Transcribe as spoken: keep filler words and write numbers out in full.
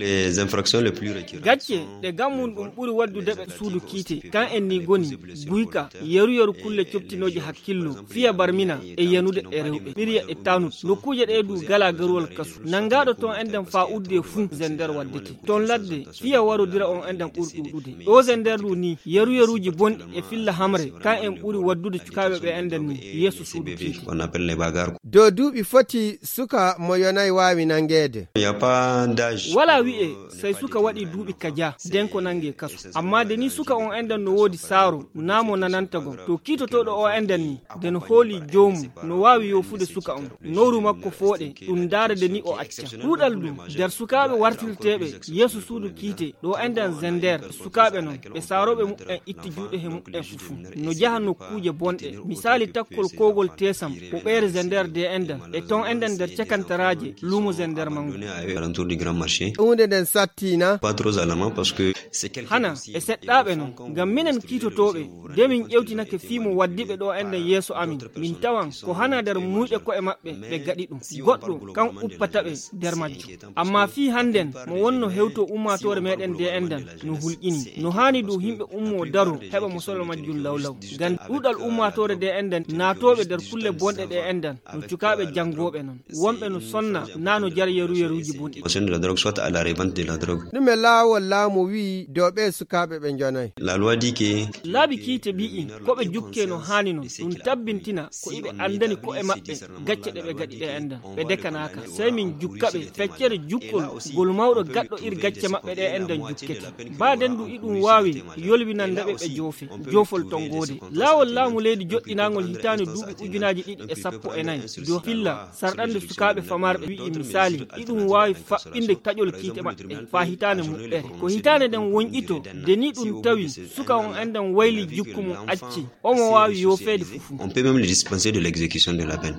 les infractions les plus récurrentes gacce de gammum dum buri waddude be suudu kiite kan en ni goni guyka yeru yeru kulle coptinoji hakkillo fiya barmina e yanude e rewbe biriya e tanut nokkuje de du gala garol kasu nangado ton enden fa udde fu zender waddete ton ladde fiya warodira on enden burdudude do zender du ni yeru yeruji bon e filla hamre kan en buri waddude cukabe be enden ni yesu suudu kiite on appelle les bagarres. do duubi foti suka mo yonay waawi nangede Il y a pas d'âge wala wi'e sai suka wadi duubi kaja den ko nange kasu amma de ni suka on enden no wodi saro namo nanantago to kitotodo o enden ni den holi joomu no wawi yofude suka on noru makko foode dum darade ni o acca dudal dum der sukabe wartirtebe yesu suudu kiite do enden zender sukabe non be sarobe mu en itti juude he mu en fufu no jahanno kuje bonde misali takkol kogol tesam ko beere zender de enden e ton enden der cakantaraje lumo zender mangu alentour du grand marché. hunde den sattina Pas trop alarmant parce que c'est quelque hana e seddabe non gam minen kitotobe de min ƴewtinake fiimo waddibe do enden yeso amin min tawan ko hana der muuyde ko e mabbe be gadi dum goddo kan uppatabe der majjo amma fi handen mo wonno hewto ummatore meden de enden no hulqini no hani do himbe ummo daro heba musolo majjul lawlaw gan dudal ummatore de enden naatobe der kulle bonde de enden no cukabe jangobe non wombe no sonna nano jar yeru yeruji bondi de la drogue soit à la revente de la drogue. ɗume laawol laamu wi dow ɓe sukaaɓe ɓe jonay La loi dit que laabi kiite bi'i ko ɓe jukke no haani non ɗum tabbintina ko iɓe andani ko e maɓɓe gacce ɗe ɓe gaɗi ɗe enden ɓe dekanaka sey min jukka ɓe feccere jukkol gol mawɗo gaɗɗo ir gacce maɓɓe ɗe enden jukkete baaden du iɗum waawi yolbinande ɓe ɓe joofe joofol ton goode laawol laamu leydi joɗɗinagol hitaani duuɓi ujunaji ɗiɗi e sappo e nayi dow filla sarɗande sukaaɓe famarɓe wi'i misali iɗum waawi faɓɓinde taƴol kiite maɓɓe fa hitaane muɓɓere ko hitaane den wonƴito de ni ɗum tawi suka on enden wayli jukku mum acci omo waawi yoofeede fufu on peut même le dispenser de l'exécution de la peine.